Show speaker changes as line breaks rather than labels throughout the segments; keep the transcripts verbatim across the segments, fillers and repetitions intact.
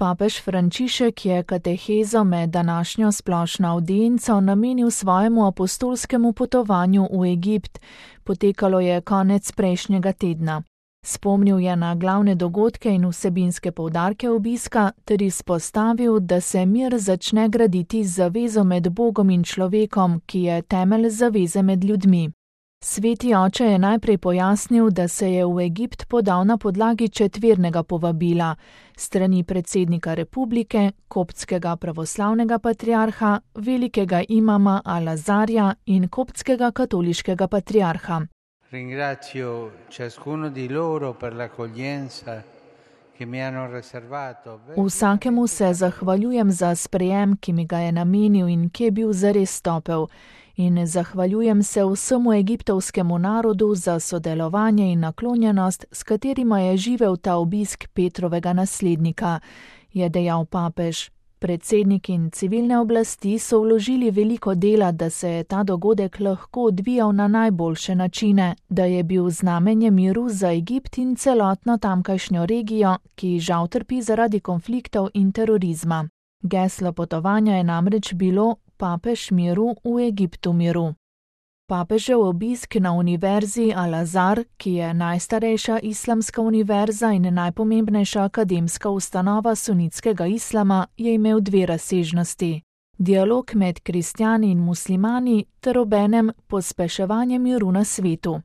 Papež Frančišek je katehezo med današnjo splošno avdienco namenil svojemu apostolskemu potovanju v Egipt. Potekalo je konec prejšnjega tedna. Spomnil je na glavne dogodke in vsebinske poudarke obiska ter izpostavil, da se mir začne graditi z zavezo med Bogom in človekom, ki je temelj zaveze med ljudmi. Sveti oče je najprej pojasnil, da se je v Egipt podal na podlagi četvernega povabila strani predsednika republike, koptskega pravoslavnega patriarha, velikega imama Al-Azarja in koptskega katoliškega patriarha.
Ringrazio ciascuno di loro per l'accoglienza che mi hanno riservato.
Vsakemu se zahvaljujem za sprejem, ki mi ga je namenil in ki je bil zares topel. In zahvaljujem se vsemu egiptovskemu narodu za sodelovanje in naklonjenost, s katerima je živel ta obisk Petrovega naslednika, je dejal papež. Predsednik in civilne oblasti so vložili veliko dela, da se je ta dogodek lahko odvijal na najboljše načine, da je bil znamenje miru za Egipt in celotno tamkajšnjo regijo, ki žal trpi zaradi konfliktov in terorizma. Geslo potovanja je namreč bilo Papež miru v Egiptu miru. Papežev obisk na univerzi Al-Azar, ki je najstarejša islamska univerza in najpomembnejša akademska ustanova sunitskega islama, je imel dve razsežnosti. Dialog med kristjani in muslimani ter obenem pospeševanje miru na svetu.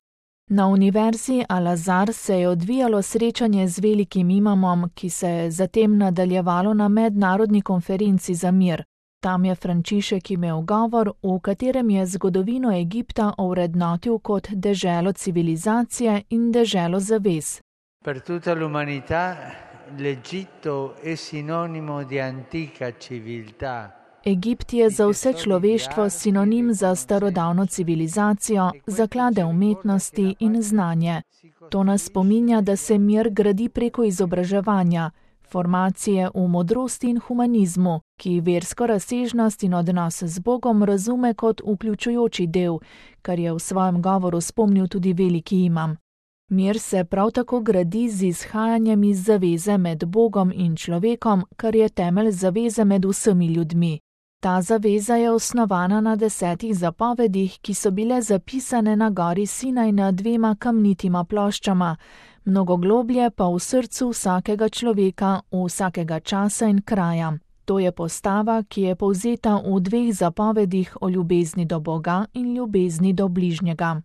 Na univerzi Al-Azar se je odvijalo srečanje z velikim imamom, ki se je zatem nadaljevalo na mednarodni konferenci za mir. Tam je Frančišek imel govor, v katerem je zgodovino Egipta ovrednotil kot deželo civilizacije in deželo zavez.
Per tutta l'umanità l'Egitto è sinonimo di antica civiltà.
Egipt je za vse človeštvo sinonim za starodavno civilizacijo, zaklade umetnosti in znanje. To nas spominja, da se mir gradi preko izobraževanja, formacije v modrosti in humanizmu, ki versko razsežnost in odnos z Bogom razume kot vključujoči del, kar je v svojem govoru spomnil tudi veliki imam. Mir se prav tako gradi z izhajanjem iz zaveze med Bogom in človekom, kar je temelj zaveze med vsemi ljudmi. Ta zaveza je osnovana na desetih zapovedih, ki so bile zapisane na gori Sinaj na dvema kamnitima ploščama, mnogo globlje pa v srcu vsakega človeka, vsakega časa in kraja. To je postava, ki je povzeta v dveh zapovedih o ljubezni do Boga in ljubezni do bližnjega.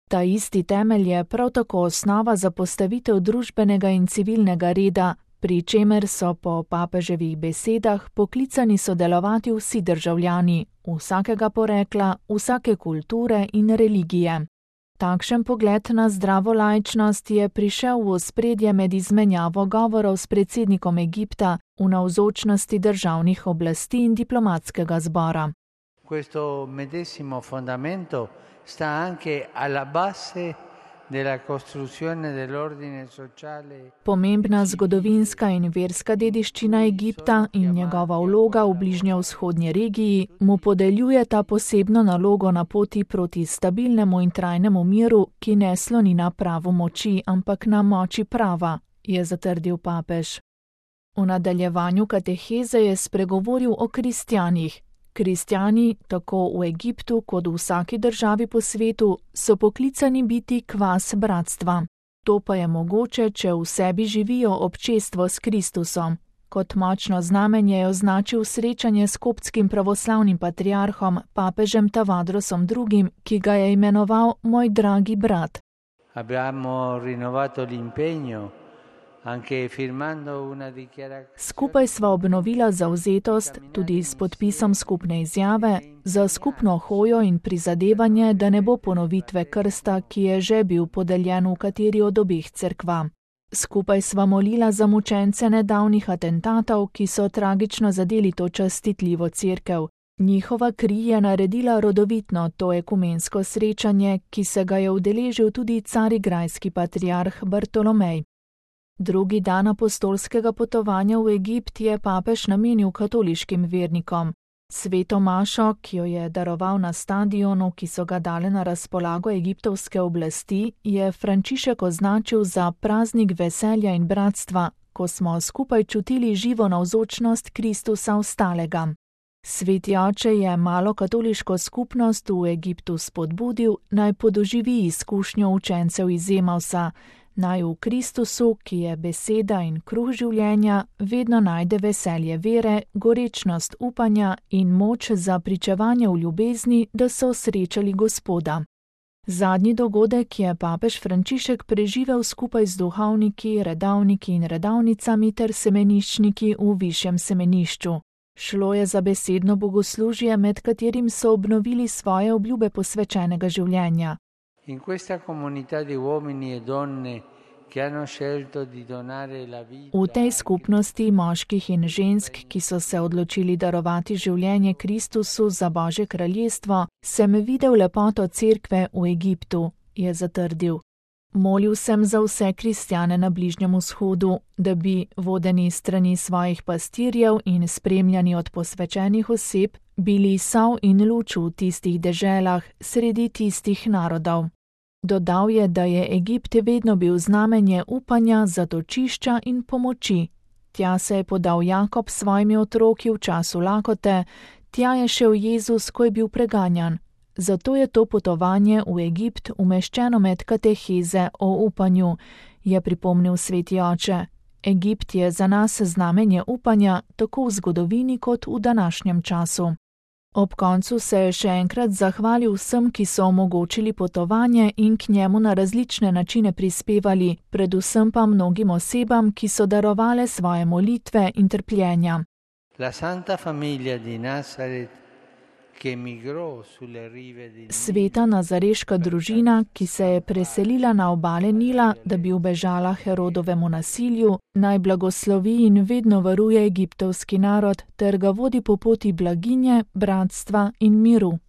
Ta isti temelj je prav tako osnova za postavitev družbenega in civilnega reda, pri čemer so po papeževih besedah poklicani sodelovati vsi državljani, vsakega porekla, vsake kulture in religije. Takšen pogled na zdravo laičnost je prišel v ospredje med izmenjavo govorov s predsednikom Egipta v navzočnosti državnih oblasti in diplomatskega zbora.
Questo medesimo fondamento sta anche alla base della costruzione dell'ordine sociale.
Pomembna zgodovinska in verska dediščina Egipta in njegova vloga v bližnjevzhodnji regiji mu podeljujeta posebno nalogo na poti proti stabilnemu in trajnemu miru, ki ne sloni na pravu moči, ampak na moči prava, je zatrdil papež. V nadaljevanju kateheze je spregovoril o kristjanih. Kristjani, tako v Egiptu kot v vsaki državi po svetu, so poklicani biti kvas bratstva. To pa je mogoče, če v sebi živijo občestvo s Kristusom. Kot močno znamenje je označil srečanje s koptskim pravoslavnim patriarhom, papežem Tavadrosom drugim, ki ga je imenoval moj dragi brat.
Abbiamo rinnovato l'impegno.
Skupaj sva obnovila zavzetost, tudi s podpisom skupne izjave, za skupno hojo in prizadevanje, da ne bo ponovitve krsta, ki je že bil podeljen v kateri od obeh cerkva. Skupaj sva molila za mučence nedavnih atentatov, ki so tragično zadeli to častitljivo cerkev. Njihova kri je naredila rodovitno to ekumensko srečanje, ki se ga je udeležil tudi carigrajski patriarh Bartolomej. Drugi dan apostolskega potovanja v Egipt je papež namenil katoliškim vernikom. Sveto mašo, ki jo je daroval na stadionu, ki so ga dale na razpolago egiptovske oblasti, je Frančišek označil za praznik veselja in bratstva, ko smo skupaj čutili živo navzočnost Kristusa ostalega. Sveti oče je malo katoliško skupnost v Egiptu spodbudil, naj podoživi izkušnjo učencev iz Emausa, naj v Kristusu, ki je beseda in kruh življenja, vedno najde veselje vere, gorečnost upanja in moč za pričevanje v ljubezni, da so srečali Gospoda. Zadnji dogodek je papež Frančišek preživel skupaj z duhovniki, redavniki in redavnicami ter semeniščniki v višjem semenišču. Šlo je za besedno bogoslužje, med katerim so obnovili svoje obljube posvečenega življenja.
In questa comunità di uomini e donne che hanno scelto di donare la vita.
V tej skupnosti moških in žensk, ki so se odločili darovati življenje Kristusu za Božje kraljestvo, sem videl lepoto cerkve v Egiptu, je zatrdil. Molil sem za vse kristjane na Bližnjem vzhodu, da bi, vodeni strani svojih pastirjev in spremljani od posvečenih oseb, bili sol in luč v tistih deželah, sredi tistih narodov. Dodal je, da je Egipt vedno bil znamenje upanja, zatočišča in pomoči. Tja se je podal Jakob s svojimi otroki v času lakote, tja je šel Jezus, ko je bil preganjan. Zato je to potovanje v Egipt umeščeno med kateheze o upanju, je pripomnil sveti oče. Egipt je za nas znamenje upanja, tako v zgodovini kot v današnjem času. Ob koncu se je še enkrat zahvalil vsem, ki so omogočili potovanje in k njemu na različne načine prispevali, predvsem pa mnogim osebam, ki so darovale svoje molitve in trpljenja.
La Santa Famiglia di Nazaret, che emigrò sulle rive di
Sveta nazareška družina, ki se je preselila na obale Nila, da bi ubežala Herodovemu nasilju, naj blagoslovi in vedno varuje egiptovski narod ter ga vodi po poti blaginje, bratstva in miru.